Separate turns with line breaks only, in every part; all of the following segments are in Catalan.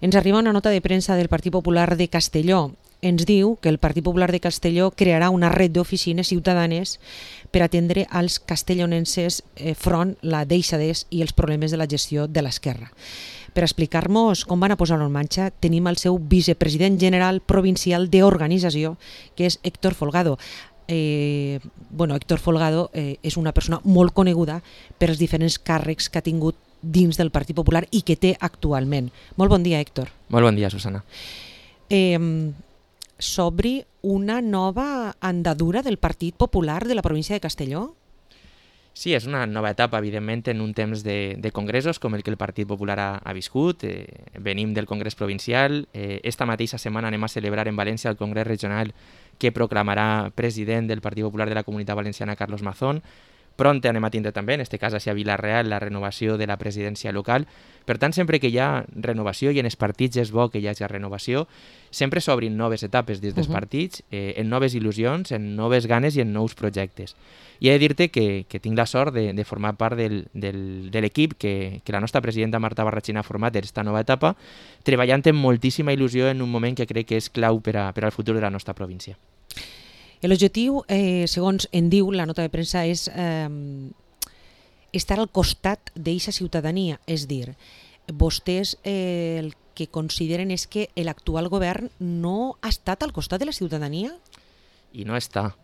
Ens arriba una nota de premsa del Partit Popular de Castelló. Ens diu que el Partit Popular de Castelló crearà una red d'oficines ciutadanes per atendre als castellonenses front la deixadesa i els problemes de la gestió de l'esquerra. Per explicar-nos com van a posar-ho en marxa, tenim el seu vicepresident general provincial d'organització, que és Héctor Folgado. Héctor Folgado és una persona molt coneguda per els diferents càrrecs que ha tingut dins del Partit Popular i que té actualment. Molt bon dia, Héctor.
Molt bon dia, Susana.
S'obri una nova andadura del Partit Popular de la província de Castelló?
Sí, és una nova etapa, evidentment, en un temps de congressos com el que el Partit Popular ha viscut. Venim del Congrés Provincial. Esta mateixa setmana anem a celebrar en València el Congrés Regional que proclamarà president del Partit Popular de la Comunitat Valenciana, Carlos Mazón. Pront anem a tindre també, en aquest cas a Vila-real, la renovació de la presidència local. Per tant, sempre que hi ha renovació, i en els partits és bo que hi hagi renovació, sempre s'obrin noves etapes dins dels partits, en noves il·lusions, en noves ganes i en nous projectes. I he de dir-te que tinc la sort de formar part de l'equip que la nostra presidenta Marta Barratxina ha format en aquesta nova etapa, treballant amb moltíssima il·lusió en un moment que crec que és clau per al futur de la nostra província.
L'objectiu, segons en diu la nota de premsa, és estar al costat d'aquesta ciutadania. És dir, vostès el que consideren és que l'actual govern no ha estat al costat de la ciutadania?
I no està.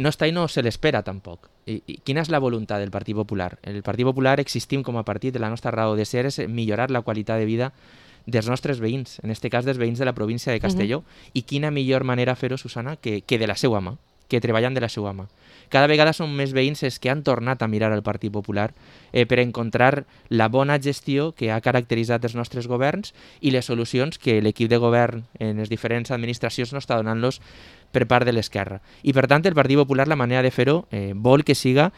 No està i no se l'espera tampoc. I quina és la voluntat del Partit Popular? El Partit Popular existim com a partit, la nostra raó de ser és millorar la qualitat de vida dels nostres veïns, en aquest cas dels veïns de la província de Castelló. I quina millor manera fer-ho, Susana, que de la seva mà, que treballant de la seva mà. Cada vegada són més veïns els que han tornat a mirar al Partit Popular per encontrar la bona gestió que ha caracteritzat els nostres governs i les solucions que l'equip de govern en les diferents administracions no està donant-los per part de l'esquerra. I per tant el Partit Popular, la manera de fer-ho, vol que siga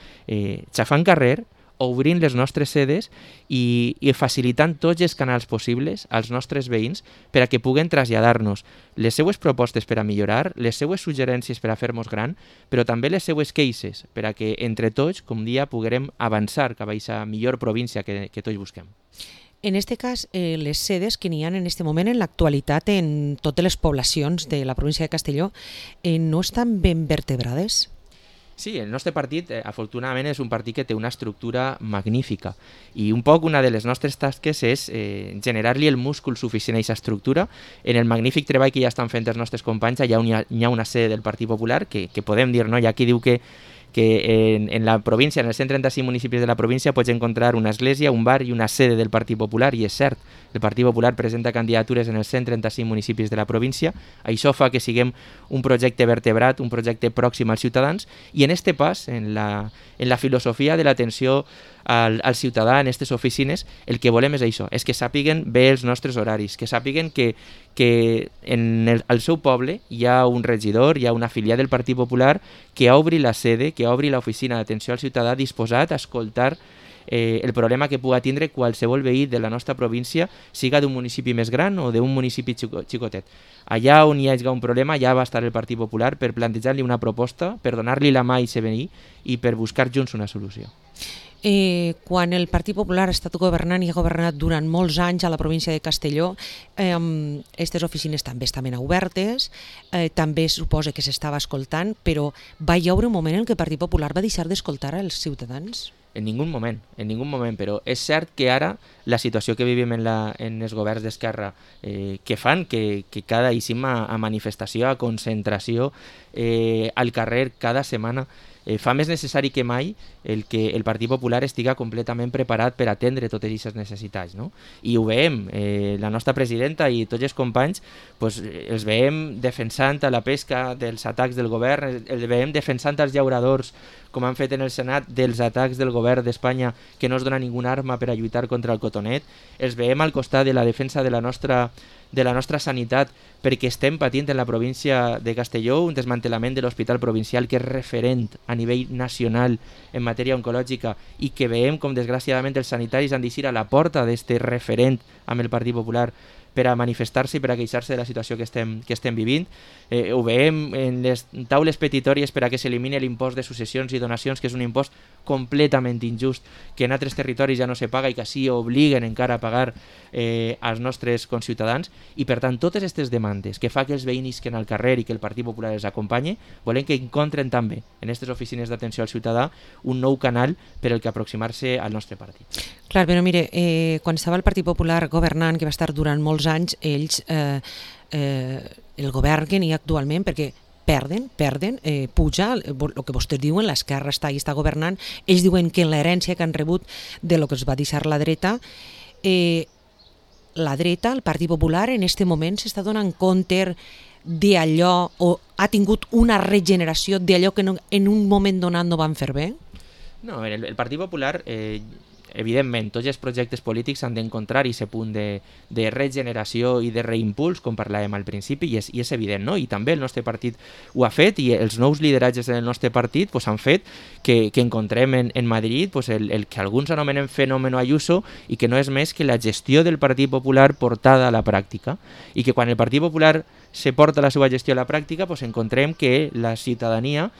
xafant carrer, obrint les nostres sedes i facilitant tots els canals possibles als nostres veïns per a que puguen traslladar-nos les seues propostes per a millorar, les seues suggerències per a fer-nos gran, però també les seues queixes per a que entre tots, com dia, puguem avançar cap a aquesta millor província que tots busquem.
En aquest cas, les sedes que n'hi ha en aquest moment en l'actualitat en totes les poblacions de la província de Castelló no estan ben vertebrades?
Sí, el nostre partit, afortunadament, és un partit que té una estructura magnífica i un poc una de les nostres tasques és generar-li el múscul suficient a aquesta estructura. En el magnífic treball que ja estan fent els nostres companys, allà on hi ha una sede del Partit Popular, que podem dir, no? Hi ha qui diu que en la província, en els 135 municipis de la província, pots encontrar una església, un bar i una sede del Partit Popular, i és cert, el Partit Popular presenta candidatures en els 135 municipis de la província. Això fa que siguem un projecte vertebrat, un projecte pròxim als ciutadans, i en este pas, en la filosofia de l'atenció al ciutadà en aquestes oficines, el que volem és això, és que sàpiguen bé els nostres horaris, que sàpiguen que al seu poble hi ha un regidor, hi ha una afiliat del Partit Popular que obri la sede, que obri l'oficina d'atenció al ciutadà disposat a escoltar el problema que pugui tindre qualsevol veí de la nostra província, siga d'un municipi més gran o d'un municipi xicotet. Allà on hi hagi un problema, allà va estar el Partit Popular per plantejar-li una proposta, per donar-li la mà a aquest veí i per buscar junts una solució.
Quan el Partit Popular ha estat governant i ha governat durant molts anys a la província de Castelló, aquestes oficines també estaven obertes, també suposa que s'estava escoltant, però va haver un moment en què el Partit Popular va deixar d'escoltar els ciutadans?
En ningú moment, però és cert que ara la situació que vivim en els governs d'esquerra que fan que cada eixim a manifestació, a concentració al carrer cada setmana, fa més necessari que mai que el Partit Popular estiga completament preparat per atendre totes aquestes necessitats, no? I ho veiem, la nostra presidenta i tots els companys els veiem defensant a la pesca dels atacs del govern, els veiem defensant els llauradors, com han fet en el Senat, dels atacs del govern d'Espanya que no es dona ninguna arma per a lluitar contra el cotonet, els veiem al costat de la defensa de la nostra sanitat, perquè estem patint en la província de Castelló un desmantellament de l'hospital provincial que és referent a nivell nacional en matèria oncològica i que veiem com desgraciadament els sanitaris han d'eixir a la porta d'este referent amb el Partit Popular per a manifestar-se i per a queixar-se de la situació que estem vivint. Ho veiem en les taules petitòries per a que s'elimini l'impost de successions i donacions, que és un impost completament injust, que en altres territoris ja no se paga i que així obliguen encara a pagar als nostres conciutadans. I per tant, totes aquestes demandes que fa que els veïns isquen al carrer i que el Partit Popular els acompanyi, volem que encontren també en aquestes oficines d'atenció al ciutadà un nou canal per el que aproximar-se al nostre partit.
Clar, però mire, quan estava el Partit Popular governant, que va estar durant molts anys, ells, el govern que n'hi ha actualment, perquè perden, puja, el que vostès diuen, l'esquerra està governant, ells diuen que l'herència que han rebut de lo que es va deixar la dreta, el Partit Popular, en aquest moment s'està donant compte d'allò, o ha tingut una regeneració d'allò que en un moment donat no van fer bé?
No, el Partit Popular, evidentment, tots els projectes polítics han d'encontrar aquest punt de regeneració i de reimpuls, com parlàvem al principi, i és evident, no? I també el nostre partit ho ha fet, i els nous lideratges del nostre partit han fet que encontrem en Madrid el que alguns anomenen fenòmeno Ayuso, i que no és més que la gestió del Partit Popular portada a la pràctica, i que quan el Partit Popular se porta la seva gestió a la pràctica, encontrem que la ciutadania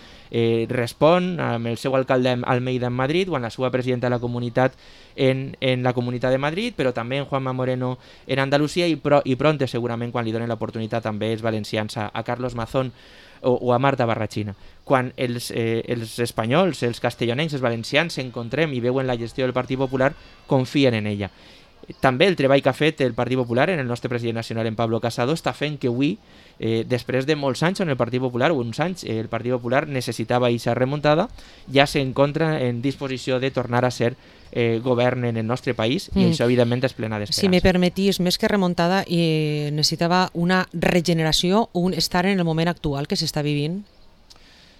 respon amb el seu alcalde Almeida en Madrid o amb la seva presidenta de la comunitat en la Comunitat de Madrid, però també en Juanma Moreno en Andalusia, i pronte segurament quan li donen l'oportunitat també els valencians a Carlos Mazón o a Marta Barrachina. Quan els espanyols, els castellonencs, els valencians s'encontrem i veuen la gestió del Partit Popular, confien en ella. També el treball que ha fet el Partit Popular en el nostre president nacional, en Pablo Casado, està fent que avui, després de molts anys en el Partit Popular, o uns anys, el Partit Popular necessitava aquesta remuntada, ja s'encontra en disposició de tornar a ser govern en el nostre país, i això evidentment és plena d'esperança.
Si me permetís, més que remuntada, necessitava una regeneració, un estar en el moment actual que s'està vivint?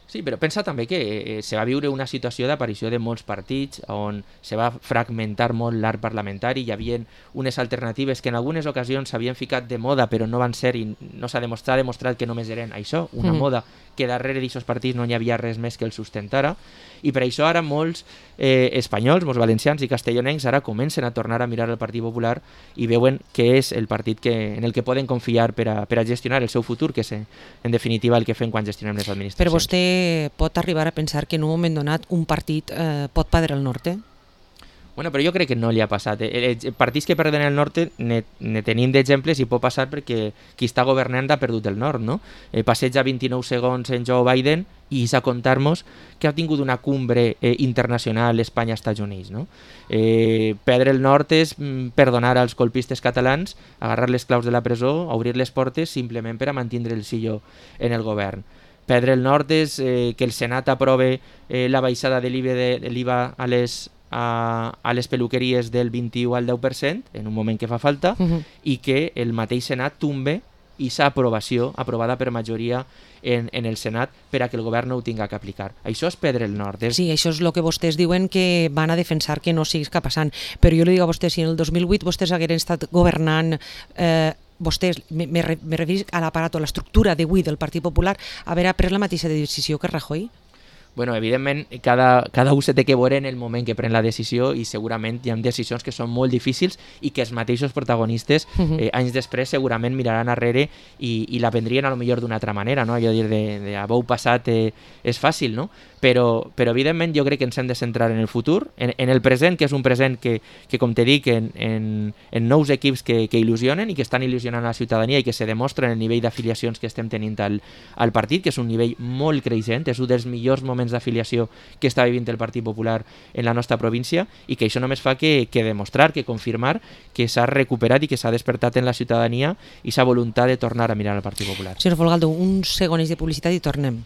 Sí, però pensa també que se va viure una situació d'aparició de molts partits on se va fragmentar molt l'arc parlamentari, hi havia unes alternatives que en algunes ocasions s'havien ficat de moda però no van ser, i no s'ha demostrat que només eren això, una moda, que darrere d'aquests partits no hi havia res més que el sustentara, i per això ara molts espanyols, molts valencians i castellonencs ara comencen a tornar a mirar el Partit Popular i veuen que és el partit en el que poden confiar per a gestionar el seu futur, que és en definitiva el que fem quan gestionem les administracions.
Però vostè pot arribar a pensar que en un moment donat un partit pot perdre el norte?
Bueno, però jo crec que no li ha passat. Partits que perden el nord ne tenim d'exemples, i pot passar perquè qui està governant ha perdut el nord, no? Passeja 29 segons en Joe Biden i és a contar-nos que ha tingut una cumbre internacional Espanya-Estats Units, no? Perdre el nord és perdonar als colpistes catalans, agarrar les claus de la presó, obrir les portes simplement per a mantindre el sillo en el govern. Perdre el nord és que el Senat aprove la baixada de l'IVA a les peluqueries del 21 al 10%, en un moment que fa falta, i que el mateix Senat tombe aquesta aprovació, aprovada per majoria en el Senat, per a que el govern no ho tinga que aplicar. Això és perdre el nord.
Sí, això és el que vostès diuen que van a defensar que no sigui passant. Però jo li dic a vostès, si en el 2008 vostès hagueren estat governant, vostès, me referís a l'aparato, a l'estructura d'avui del Partit Popular, haver pres la mateixa decisió que Rajoy?
Bueno, evidentment, cada un se té que veure en el moment que pren la decisió, i segurament hi ha decisions que són molt difícils i que els mateixos protagonistes anys després segurament miraran arrere i la prendrien a lo millor d'una altra manera, no? Allò dir de abou passat és fàcil, no? Però evidentment jo crec que ens hem de centrar en el futur, en el present, que és un present que com te dic, en nous equips que il·lusionen i que estan il·lusionant a la ciutadania i que se demostren el nivell d'afiliacions que estem tenint al partit, que és un nivell molt creixent, és un dels millors moments d'afiliació que està vivint el Partit Popular en la nostra província, i que això només fa que demostrar, que confirmar que s'ha recuperat i que s'ha despertat en la ciutadania i s'ha voluntat de tornar a mirar al Partit Popular.
Senyor Folgado, uns segons de publicitat i tornem.